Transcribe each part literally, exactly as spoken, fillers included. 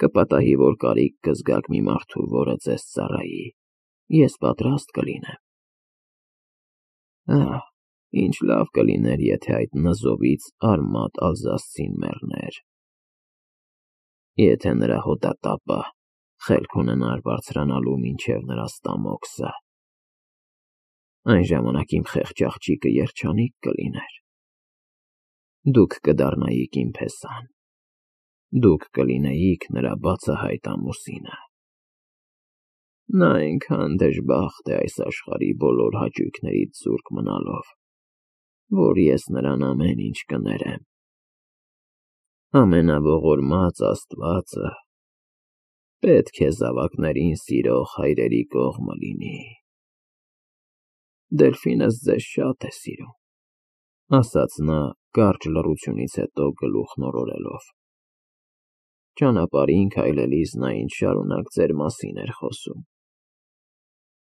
Կպատահի, որ կարիք կզգաք մի մարդու, որը ձեզ ծառայի, ես պատրաստ կլինեմ։ Ահ, ինչ լավ կլիներ, եթե այդ նզովից արմատ ալզասցին մեռներ, եթե նրա հոտատապը խելք ունենար բարձրանալու մինչև նրա ստամոքսը, այն ժամանակ իմ խեղճ աղջիկը երջանիկ կլիներ, դուք կդառնայիք իմ փեսան, դուք կլինեիք նրա բացահայտ ամուսինը։ Նա այնքան դժբախտ է այս աշխարհի բոլոր հաճույքներից զուրկ մնալով, որ ես նրան ամեն ինչ կներեմ։ Ամենաողորմած Աստվածը պետք է զավակներին սիրող հայրերի կողմը լինի։ Դելֆինս ձեզ շատ է սիրում, ասաց նա կարճ լռությունից հետո գլուխն օրորելով։ Ճանապարհին քայլելիս նա ինձ շարունակ ձեր մասին էր խոսում։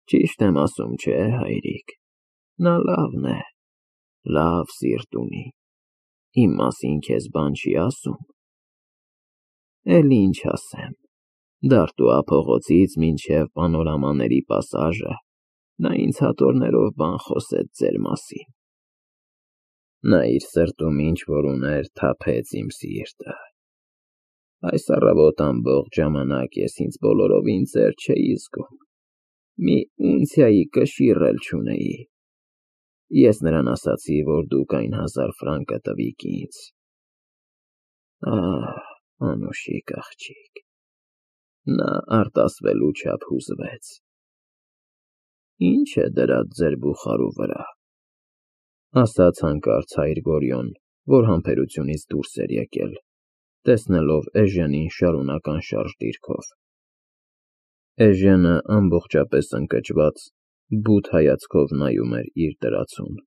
Ճիշտ եմ ասում, չէ՞, հայրիկ, նա լավն է, լավ սիրտ ունի, իմ մասին քեզ բան չի ասում։ Էլ ինչ ասեմ, Դարտուա փողոցից մինչև Պանորամաների պասաժը նա ինձ հատորներով բան խոսեց ձեր մասին։ Նա իր սրտում ինչ-որ ուներ թափեց իմ սիրտը։ Այս առավոտ ամբողջ ժամանակ ես ինձ բոլորովին ծեր չէի զգում, մի ունցիայի կշիռ էլ չունեի։ Ես նրան ասացի, որ դուք այն հազար ֆրանկը տվիք ինձ։ Ահ, անուշիկ աղջիկ, նա արտասվելու չափ հուզվեց։ Ինչ է դրած ձեր բուխարու վրա, ասաց հանկարծ հայր Գորյոն, որ համբերությունից դուրս էր եկել, տեսնելով Էժենին շարունակ անշարժ դիրքով։ Էժենը ամբողջապես ընկճված, բութ հայացքով նայում էր իր դրածուն։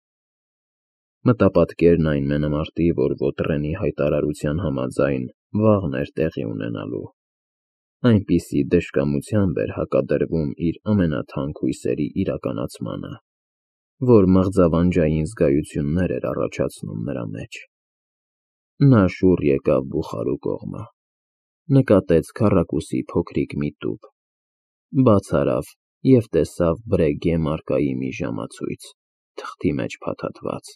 Մտապատկերն այն մենամարտի, որ Ոտրենի հայտարարության համաձայն վաղն էր տեղի ունենալու, այնպիսի դժկամությամբ էր հակադրվում իր ամենաթանկ հույսերի իրականացմանը, որ մղձավանջային զգայություններ էր առաջացնում նրա մեջ։ Նա շուռ եկավ բուխարու կողմը, նկատեց քառակուսի փոքրիկ մի տուփ, բաց արավ և տեսավ Բրեգե մարգայի մի ժամացույց, թղթի մեջ փաթաթված։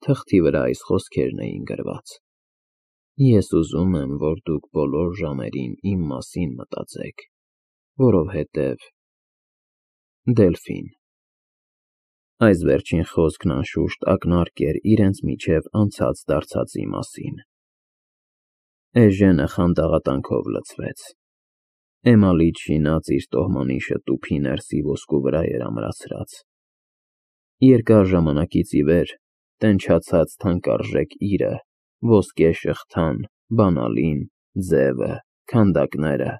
Թղթի վրա այս խոսքերն էին գրված. Ես ուզում եմ, որ դուք բոլոր ժամերին իմ մասին մտածեք, որովհետև… Դելֆին։ Այս վերջին խոսքն անշուշտ ակնարկ էր իրենց միջև անցած դարձածի մասին։ Էժենը խանդաղատանքով լցվեց։ Էմալից շինած իր տոհմանիշը տուփի ներսի ոսկու վրա էր ամրացրած։ Երկար ժամանակից ի վեր տենչացած թանկարժեք իրը, ոսկե շղթան, բանալին, ձևը, քանդակները,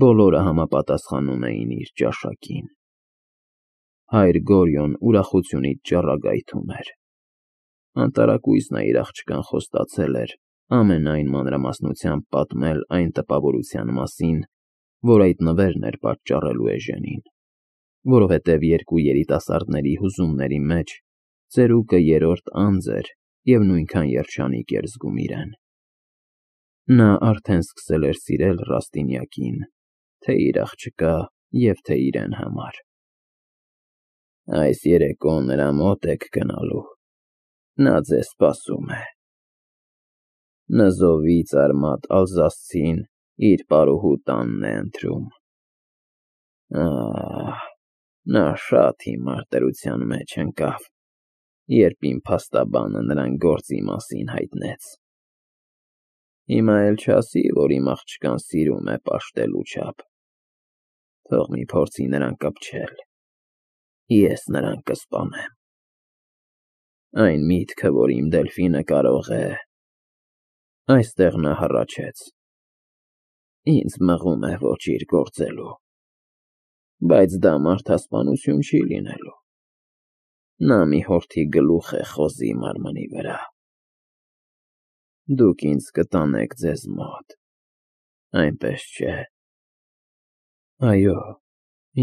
բոլորը համապատասխանում էին իր ճաշակին։ Հայր Գորյոն ուրախությունից ճառագայթում էր։ Անտարակույս նա իր աղջկան խոստացել էր ամենայն մանրամասնությամբ պատմել այն տպավորության մասին, որ այդ նվերն էր պատճառելու Էժենին, որովհետև երկու երիտասարդների հուզումների մեջ ծերուկը երրորդ անձ էր և նույնքան երջանիկ էր զգում իրեն։ Նա արդեն սկսել էր սիրել Ռաստինյակին, թե իր աղջկա և թե իրեն համար։ Այս երեկո նրա մոտ եք գնալու, նա ձեզ սպասում է։ Նզովից արմատ ալզասցին իր պարուհու տանն է ընտրում։ Ահ, նա շատ հիմար դրության մեջ ընկավ, երբ իմ փաստաբանը նրան գործի մասին հայտնեց։ Հիմա էլ չասի, որ իմ աղջկան սիրում է պաշտելու չափ։ Թող մի փորձի նրան կպչել, ես նրան կսպանեմ։ Այն միտքը, որ իմ Դելֆինը կարող է… Այստեղ նա հառաչեց։ Ինձ մղում է ոչ իր գործելու, բայց դա մարդասպանություն չի լինելու։ Նա մի հորթի գլուխ է խոզի մարմնի վրա։ Դուք ինձ կտանեք ձեզ մոտ, այնպես չէ։ Այո,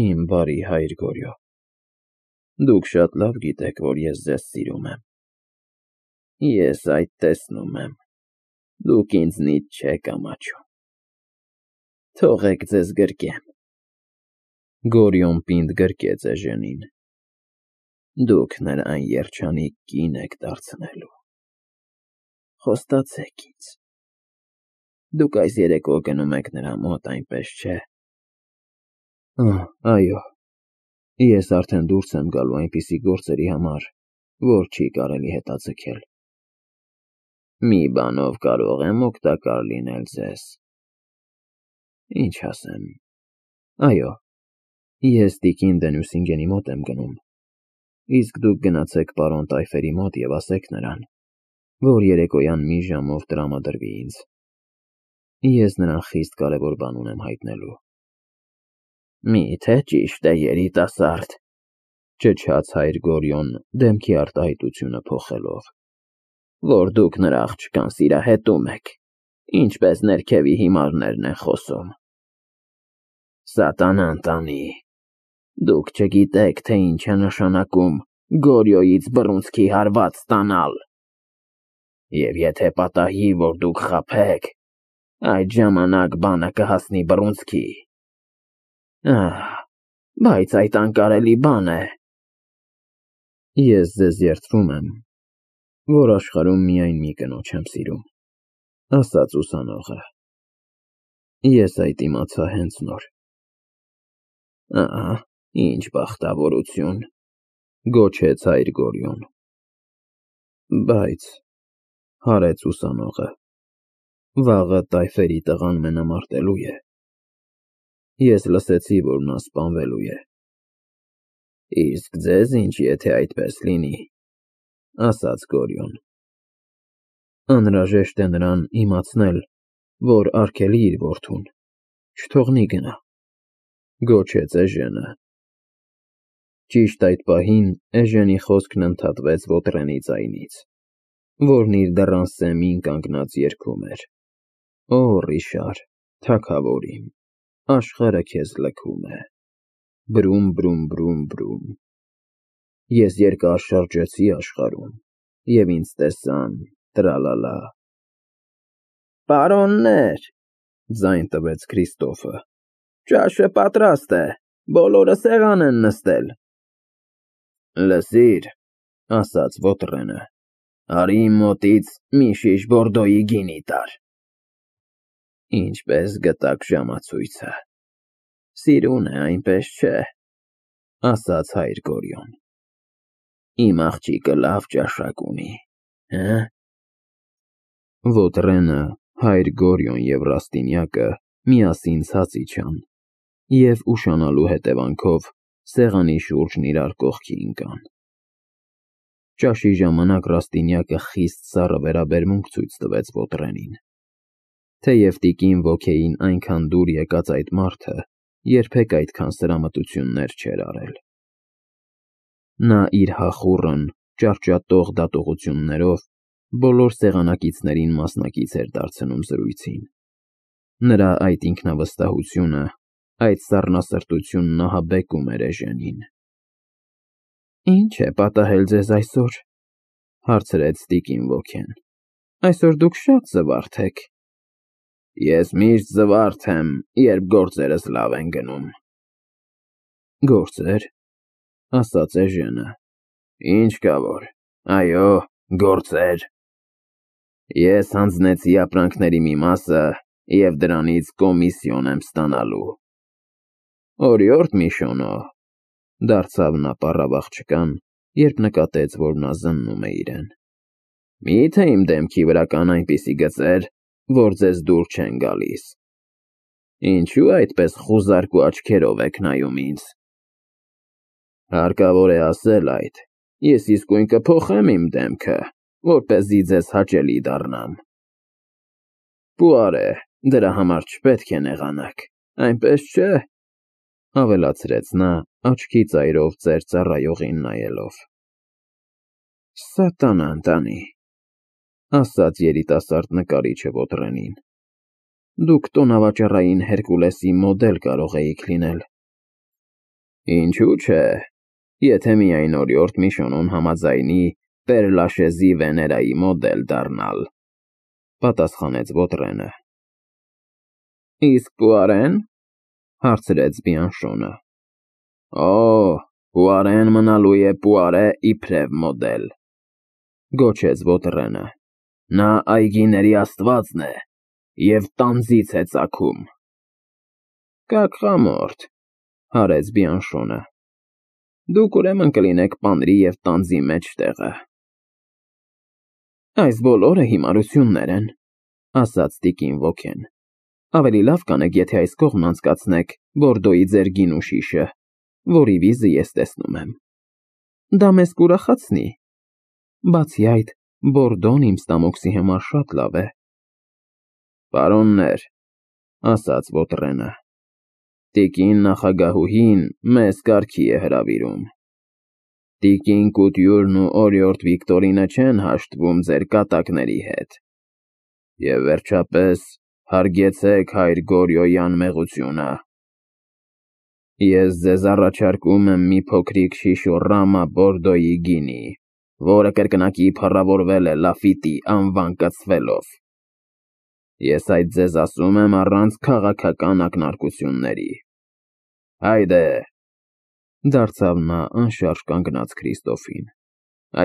իմ բարի հայր Գորյո, դուք շատ լավ գիտեք, որ ես ձեզ սիրում եմ։ Ես այդ տեսնում եմ, դուք ինձնից չեք ամաչում։ Թողեք ձեզ գրկեմ։ Գորիոն պինդ գրկեց Էժենին։ Դուք նրան երջանիկ կին եք դարձնելու։ Խոստացեք ինձ։ Դուք այս երեկո գնում եք նրա մոտ, այնպես չէ՞։ Այո, ես արդեն դուրս եմ գալու այնպիսի գործերի համար, որ չի կարելի հետաձգել։ Մի բանով կարող եմ օգտակար լինել ձեզ։ Ինչ ասեմ։ Այո, ես տիկին Դենյուսինգենի մոտ եմ գնում, իսկ դուք գնացեք պարոն Տայֆերի մոտ և ասեք նրան, որ երեկոյան մի ժամով տրամադրվի ինձ։ Ես նրան խիստ կարևոր բան ունեմ հայտնելու։ Մի՞թե ճիշտ է, երիտասարդ, ճչաց հայր Գորիոն դեմքի արտահայտությունը փոխելով, որ դուք նրա աղջկան սիրահետում եք, ինչպես ներքևի հիմարներն են խոսում։ Սատանան տանի, դուք չգիտեք, թե ինչ է նշանակում Գորիոյից բռունցքի հարված ստանալ։ Եվ եթե պատահի, որ դուք խաբեք, այդ ժամանակ բանը կհասնի բռունցքի։ Ահ, բայց այդ անկարելի բան է։ Ես ձեզ երդվում եմ, որ աշխարհում միայն մի կնոջ եմ սիրում, ասաց ուսանողը։ Ես այդ իմացա հենց նոր։ Ահա, ինչ բախտավորություն, գոչեց հայր Գորիոն։ Բայց, հարեց ուսանողը, վաղը Տայֆերի տղան մենամարտելու է։ Ես լսեցի, որ նա սպանվելու է։ Իսկ ձեզ ինչ, եթե այդպես լինի, ասաց Գորիոն։ Անհրաժեշտ է նրան իմացնել, որ արգելի իր որդուն, չթողնի գնա, գոչեց Էժենը։ Ճիշտ այդ պահին Էժենի խոսքն ընդհատվեց Վոտրենի ձայնից, որն իր դռան սեմին կանգնած երգում էր. Օ, Ռիշար, թագավոր իմ, աշխարհը քեզ լքում է, բրում, բրում, բրում, բրում։ Ես երկար շրջեցի աշխարհում, և ինձ տեսան, տրալալա։ Պարոններ, ձայն տվեց Քրիստոֆը, ճաշը պատրաստ է, բոլորը սեղան են նստել։ Լսիր, ասաց Վոտրենը, արի իմ մոտից մի շիշ Բորդոյի գինի տար։ Ինչպես գտաք ժամացույցը։ Սիրուն է, այնպես չէ, ասաց հայր Գորիոն։ Իմ աղջիկը լավ ճաշակ ունի, հը՞։ Վոտրենը, հայր Գորիոն և Ռաստինյակը միասին ցած իջան և ուշանալու հետևանքով սեղանի շուրջն իրար կողքի ընկան։ Ճաշի ժամանակ Ռաստինյակը խիստ սառը վերաբերմունք ցույց տվեց Վոտրենին, թեև տիկին Ոքեին այնքան դուր եկած այդ մարդը երբեք այդքան սրամտություններ չէր արել։ Նա իր հախուռն, ճարճատող դատողություններով բոլոր սեղանակիցներին մասնակից էր դարձնում զրույցին։ Նրա այդ ինքնավստահությունը, այդ սառնասրտությունն ահաբեկում էր Էժենին։ Ինչ է պատահել ձեզ այսօր, հարցրեց տիկին Ոքեն։ Այսօր դուք շատ զվարթ եք։ Ես միշտ զվարթ եմ, երբ գործերս լավ են գնում։ Գործեր, ասաց Էժենը։ Ինչ կա որ, այո, գործեր։ Ես հանձնեցի ապրանքների մի մասը և դրանից կոմիսիոն եմ ստանալու։ Օրիորդ Միշոնո, դարձավ նա պառավ աղջկան, երբ նկատեց, որ նա զննում է իրեն։ Մի՞թե իմ դեմքի վրա կան այնպիսի գծեր, որ ձեզ դուր չեն գալիս։ Ինչու այդպես խուզարկու աչքերով եք նայում ինձ։ Հարկավոր է ասել այդ, ես իսկույն կփոխեմ իմ դեմքը, որպեսզի ձեզ հաճելի դառնամ։ Պուար է, դրա համար չպետք է նեղանաք, այնպես չէ, ավելացրեց նա աչքի ծայրով ծեր ծառայողին նայելով։ Սատանան տանի, ասաց երիտասարդ նկարիչը Վոտրենին։ Դուք տոնավաճառային Հերկուլեսի մոդել կարող էիք լինել։ Ինչու՞ չէ, եթե միայն օրիորդ Միշոնոն համաձայնի Պեր-Լաշեզի Վեներայի մոդել դառնալ, պատասխանեց Վոտրենը։ Իսկ Պուարեն, հարցրեց Բիանշոնը։ Օ, Պուարեն մնալու է Պուարե իբրև մոդել, գոչեց Վոտրենը։ Նա այգիների աստվածն է և տանձից է ծագում։ Կակ խամորդ, հարեց Բիանշոնը։ Դուք ուրեմն կլինեք պանրի և տանձի մեջտեղը։ Այս բոլորը հիմարություններ են, ասաց տիկին Ոքեն։ Ավելի լավ կանեք, եթե այս կողմն անցկացնեք Բորդոյի ձեր գինու շիշը, որի վիզը ես տեսնում եմ։ Դա մեզ կուրախացնի։ Բացի այդ, Բորդոն իմ ստամոքսի համար շատ լավ է։ Պարոններ, ասաց Վոտրենը, տիկին նախագահուհին մեզ կարգի է հրավիրում։ Տիկին Կուտյուրն ու օրիորդ Վիկտորինը չեն հաշտվում ձեր կատակների հետ։ Եվ վերջապես, հարգեցեք հայր Գորյոյի անմեղությունը։ Ես ձեզ առաջարկում եմ մի փոքրիկ շիշոռամա Բորդոյի գինի, որը կրկնակի փառավորվել է Լաֆիտի անվան կցվելով։ Ես այդ ձեզ ասում եմ առանց քաղաքական ակնարկությունների։ Հայդե, դարձավ նա անշարժ կանգնած Քրիստոֆին։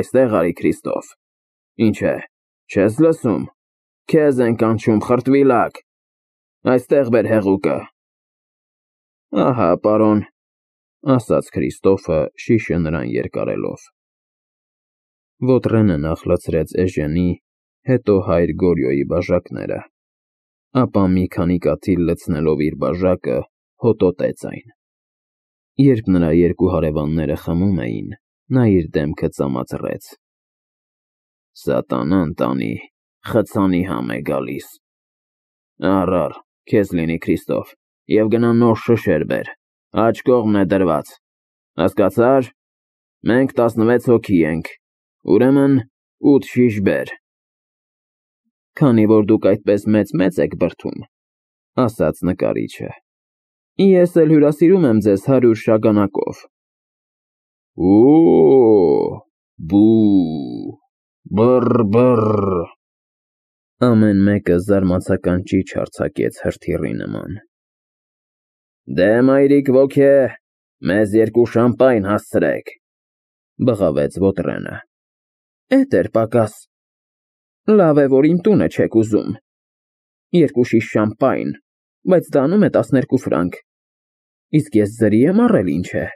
Այստեղ արի, Քրիստոֆ։ Ինչ է, չես լսում։ Քեզ են կանչում, խրտվիլակ։ Այստեղ բեր հեղուկը։ Ահա, պարոն, ասաց Քրիստոֆը շիշը նրան երկարելով։ Վոտրենը նախ լցրեց էժենի, հետո հայր Գորյոյի բաժակները, ապա մի քանի կաթիլ լցնելով իր բաժակը, հոտոտեց այն։ Երբ նրա երկու հարևանները խմում էին, նա իր դեմքը ծամացրեց։ Սատանան տանի, խցանի համ է գալիս։ Առ, քեզ լինի, Քրիստոֆ, և գնա նոր շշեր բեր, աջ կողմն է դրված, հասկացա՞ր։ Մենք տասնվեց հոգի ենք, ուրեմն ութ շիշ բեր։ Քանի որ դուք այդպես մեծ-մեծ եք բրդում, ասաց նկարիչը, ես էլ հյուրասիրում եմ ձեզ հարյուր շագանակով։ Օ՜օ, բու, բռ֊բռ։ Ամեն մեկը զարմացական ճիչ արձակեց հրթիռի նման։ Դե, մայրիկ ոգե, մեզ երկու շամպայն հասցրեք, բղավեց Վոտրենը։ Էդ էր պակաս։ Լավ է, որ իմ տունը չեք ուզում։ Երկու շիշ շամպայն, բայց դա անում է տասներկու ֆրանկ։ Իսկ ես ձրի եմ առել, ինչ է։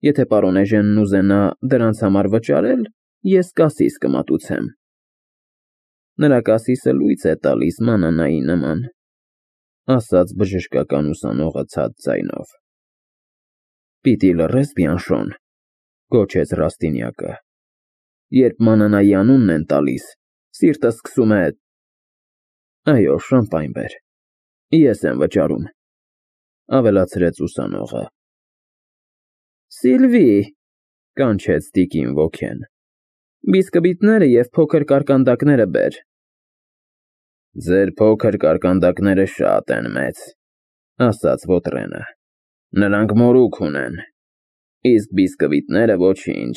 Եթե պարոն էժենն ուզենա դրանց համար վճարել, ես կասիս կմատուցեմ։ Նրա կասիսը լույս է տալիս մանանայի նման, ասաց բժշկական ուսանողը ցած ձայնով։ Պիտի լռես, Բիանշոն, գոչեց Ռաստինյակը։ Երբ մանանայի անունն են տալիս, սիրտը սկսում է… Այո, շամպայն բեր, ես եմ վճարում, ավելացրեց ուսանողը։ Սիլվի, կանչեց տիկին Ոքեն, բիսկվիտները և փոքր կարկանդակները բեր։ Ձեր փոքր կարկանդակները շատ են մեծ, ասաց Վոտրենը, նրանք մորուք ունեն, իսկ բիսկվիտները ոչինչ։